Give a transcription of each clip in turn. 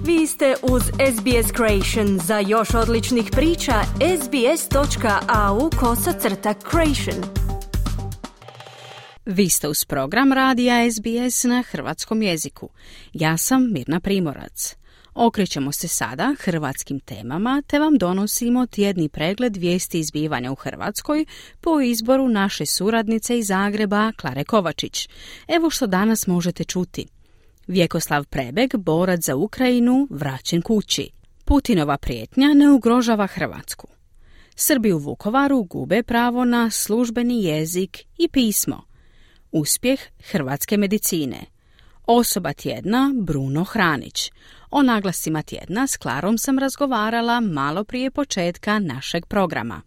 Vi ste uz SBS Creation. Za još odličnih priča, sbs.au/creation. Vi ste uz program radija SBS na hrvatskom jeziku. Ja sam Mirna Primorac. Okrećemo se sada hrvatskim temama te vam donosimo tjedni pregled vijesti i zbivanja u Hrvatskoj po izboru naše suradnice iz Zagreba, Klare Kovačić. Evo što danas možete čuti. Vjekoslav Prebeg, borac za Ukrajinu, vraćen kući. Putinova prijetnja ne ugrožava Hrvatsku. Srbi u Vukovaru gube pravo na službeni jezik i pismo. Uspjeh hrvatske medicine. Osoba tjedna Bruno Hranić. O naglascima tjedna s Klarom sam razgovarala malo prije početka našeg programa.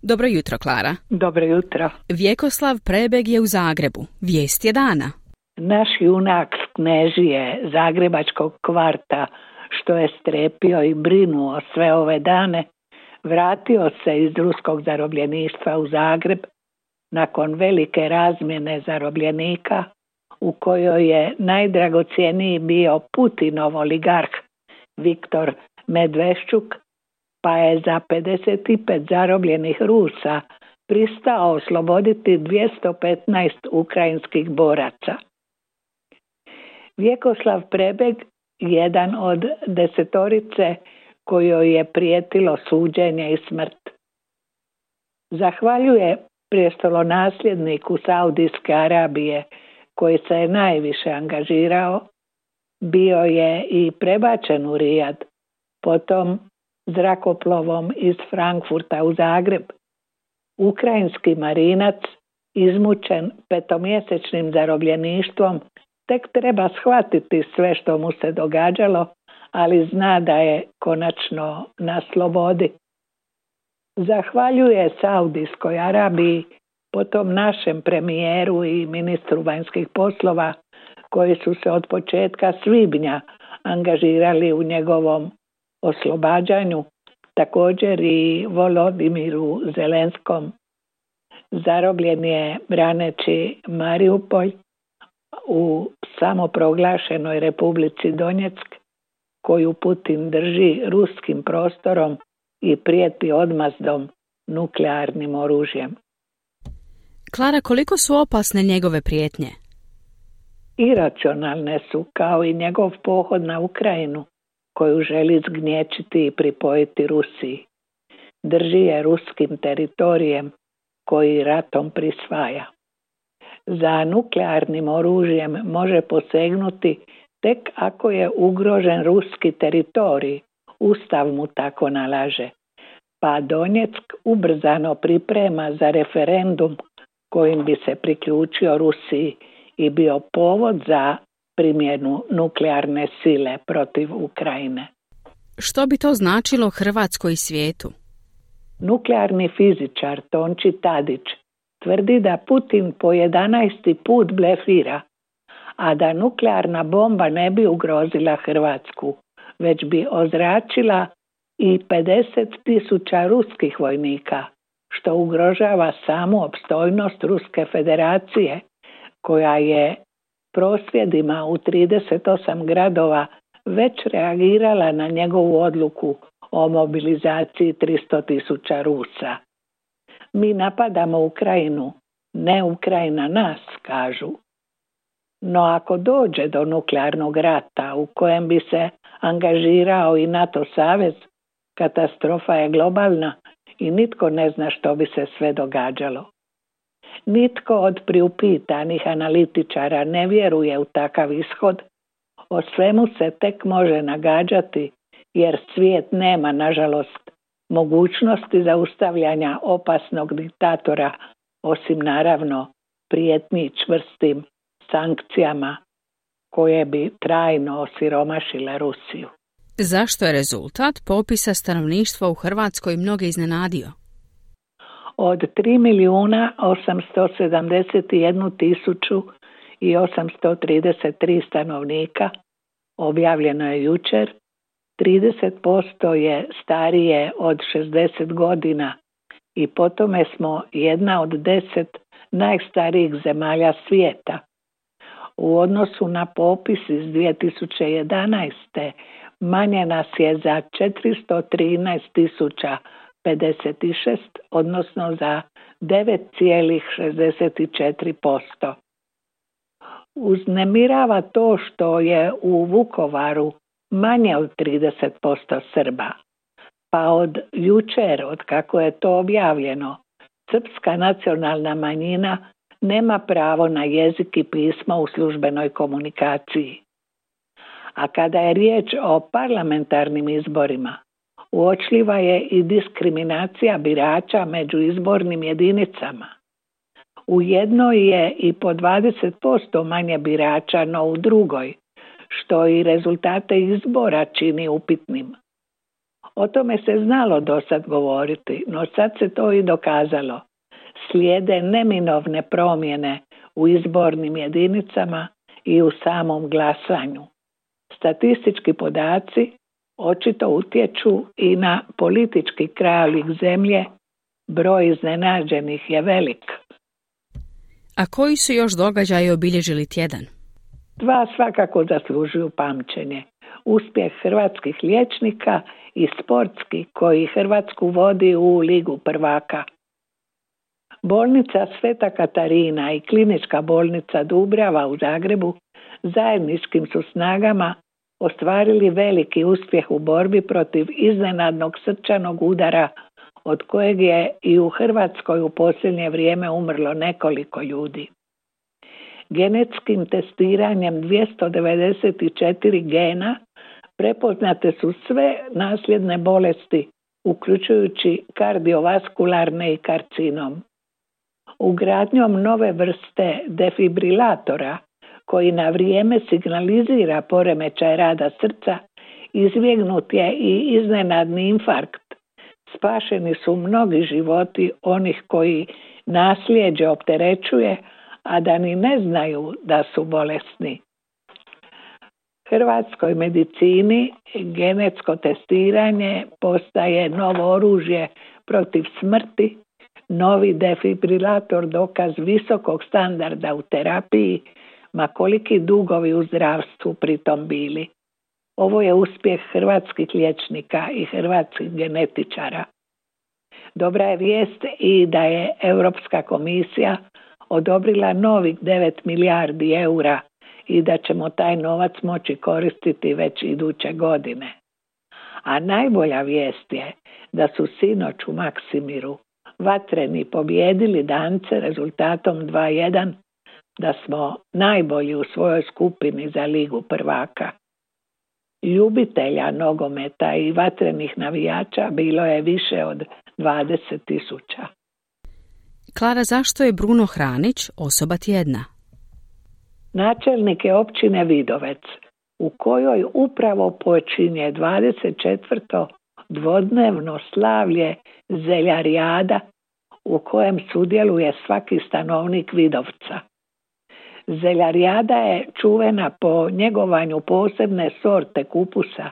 Dobro jutro, Klara. Dobro jutro. Vjekoslav Prebeg je u Zagrebu. Vijest je dana. Naš junak s Knežije, zagrebačkog kvarta, što je strepio i brinuo sve ove dane, vratio se iz ruskog zarobljeništva u Zagreb nakon velike razmjene zarobljenika u kojoj je najdragocjeniji bio Putinov oligarh Viktor Medveščuk, pa je za 55 zarobljenih Rusa pristao osloboditi 215 ukrajinskih boraca. Vjekoslav Prebeg, jedan od 10 kojoj je prijetilo suđenje i smrt. Zahvaljuje prestolonasljedniku Saudijske Arabije, koji se je najviše angažirao, bio je i prebačen u Rijad, potom zrakoplovom iz Frankfurta u Zagreb. Ukrajinski marinac, izmučen 5-mjesečnim zarobljeništvom, tek treba shvatiti sve što mu se događalo, ali zna da je konačno na slobodi. Zahvaljuje Saudijskoj Arabiji, potom našem premijeru i ministru vanjskih poslova, koji su se od početka svibnja angažirali u njegovom oslobađanju, također i Volodimiru Zelenskom. Zarobljen je braneći Mariupolj u samoproglašenoj Republici Donjeck, koju Putin drži ruskim prostorom i prijeti odmazdom nuklearnim oružjem. Klara, koliko su opasne njegove prijetnje? Iracionalne su, kao i njegov pohod na Ukrajinu, koju želi zgnječiti i pripojiti Rusiji. Drži je ruskim teritorijem koji ratom prisvaja. Za nuklearnim oružjem može posegnuti tek ako je ugrožen ruski teritorij, Ustav mu tako nalaže. Pa Donjeck ubrzano priprema za referendum kojim bi se priključio Rusiji i bio povod za primjenu nuklearne sile protiv Ukrajine. Što bi to značilo Hrvatskoj i svijetu? Nuklearni fizičar Tonči Tadić tvrdi da Putin po 11. put blefira, a da nuklearna bomba ne bi ugrozila Hrvatsku, već bi ozračila i 50.000 ruskih vojnika, što ugrožava samu opstojnost Ruske federacije, koja je prosvjedima u 38 gradova već reagirala na njegovu odluku o mobilizaciji 300.000 Rusa. Mi napadamo Ukrajinu, ne Ukrajina nas, kažu. No ako dođe do nuklearnog rata u kojem bi se angažirao i NATO savez, katastrofa je globalna i nitko ne zna što bi se sve događalo. Nitko od priupitanih analitičara ne vjeruje u takav ishod. O svemu se tek može nagađati, jer svijet nema, nažalost, mogućnosti zaustavljanja opasnog diktatora, osim naravno prijetnji čvrstim sankcijama koje bi trajno osiromašile Rusiju. Zašto je rezultat popisa stanovništva u Hrvatskoj mnoge iznenadio? Od 3.081.833 stanovnika, objavljeno je jučer, 30% je starije od 60 godina i po tome smo jedna od 10 najstarijih zemalja svijeta. U odnosu na popis iz 2011. manje nas je za 413.056, odnosno za 9,64%. Uznemirava to što je u Vukovaru manje od 30% Srba, pa od jučer, od kako je to objavljeno, srpska nacionalna manjina nema pravo na jezik i pismo u službenoj komunikaciji. A kada je riječ o parlamentarnim izborima, uočljiva je i diskriminacija birača među izbornim jedinicama. U jednoj je i po 20% manje birača, no u drugoj, što i rezultate izbora čini upitnim. O tome se znalo dosad govoriti, no sad se to i dokazalo. Slijede neminovne promjene u izbornim jedinicama i u samom glasanju. Statistički podaci očito utječu i na politički krajolik zemlje, broj iznenađenih je velik. A koji su još događaji obilježili tjedan? Dva svakako zaslužuju pamćenje. Uspjeh hrvatskih liječnika i sportski koji Hrvatsku vodi u Ligu prvaka. Bolnica Sveta Katarina i klinička bolnica Dubrava u Zagrebu zajedničkim su snagama ostvarili veliki uspjeh u borbi protiv iznenadnog srčanog udara od kojeg je i u Hrvatskoj u posljednje vrijeme umrlo nekoliko ljudi. Genetskim testiranjem 294 gena prepoznate su sve nasljedne bolesti, uključujući kardiovaskularne i karcinom. Ugradnjom nove vrste defibrilatora, koji na vrijeme signalizira poremećaj rada srca, izbjegnut je i iznenadni infarkt. Spašeni su mnogi životi onih koji nasljeđe opterećuje, a da ni ne znaju da su bolesni. Hrvatskoj medicini genetsko testiranje postaje novo oružje protiv smrti, novi defibrilator dokaz visokog standarda u terapiji, ma koliki dugovi u zdravstvu pritom bili. Ovo je uspjeh hrvatskih liječnika i hrvatskih genetičara. Dobra je vijest i da je Europska komisija odobrila novih 9 milijardi eura i da ćemo taj novac moći koristiti već iduće godine. A najbolja vijest je da su sinoć u Maksimiru Vatreni pobijedili Dance rezultatom 2:1, da smo najbolji u svojoj skupini za Ligu prvaka. Ljubitelja nogometa i vatrenih navijača bilo je više od 20.000. Klara, zašto je Bruno Hranić osoba tjedna? Načelnik je općine Vidovec, u kojoj upravo počinje 24. dvodnevno slavlje Zeljarijada, u kojem sudjeluje svaki stanovnik Vidovca. Zeljarijada je čuvena po njegovanju posebne sorte kupusa.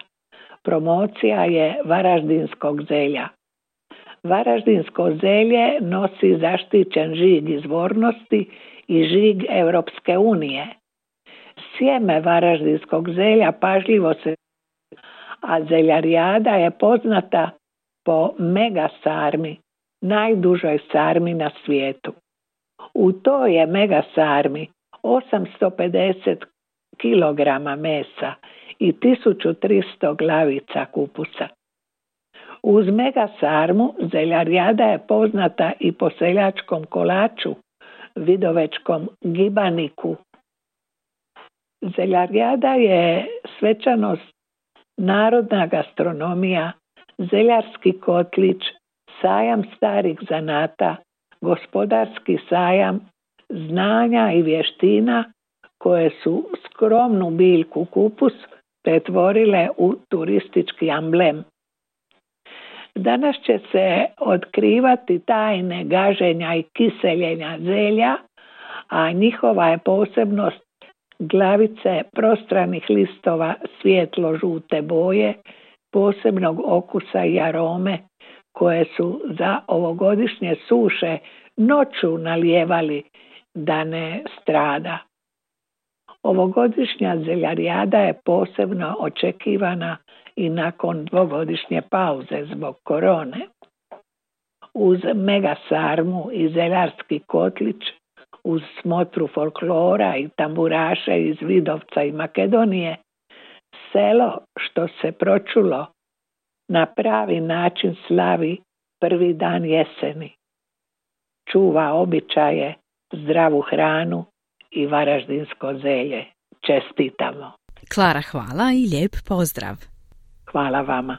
Promocija je varaždinskog zelja. Varaždinsko zelje nosi zaštićen žig izvornosti i žig Europske unije. Sjeme varaždinskog zelja pažljivo se, a Zeljarijada je poznata po mega sarmi, najdužoj sarmi na svijetu. U toj je mega sarmi 850 kg mesa i 1300 glavica kupusa. Uz mega sarmu Zeljarijada je poznata i po seljačkom kolaču, vidovečkom gibaniku. Zeljarijada je svečanost, narodna gastronomija, zeljarski kotlić, sajam starih zanata, gospodarski sajam, znanja i vještina koje su skromnu biljku kupus pretvorile u turistički amblem. Danas će se otkrivati tajne gaženja i kiseljenja zelja, a njihova je posebnost glavice prostranih listova svijetlo-žute boje, posebnog okusa i arome, koje su za ovogodišnje suše noću nalijevali da ne strada. Ovogodišnja zeljarijada je posebno očekivana i nakon 2-godišnje pauze zbog korone. Uz mega sarmu i zeljarski kotlić, uz smotru folklora i tamburaša iz Vidovca i Makedonije, selo što se pročulo na pravi način slavi prvi dan jeseni. Čuva običaje, zdravu hranu i varaždinsko zelje. Čestitamo. Klara, hvala i lijep pozdrav. Hvala vama.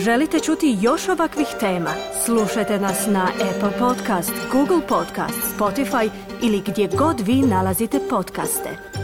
Želite čuti još ovakvih tema? Slušajte nas na Apple Podcast, Google Podcast, Spotify ili gdje god vi nalazite podcaste.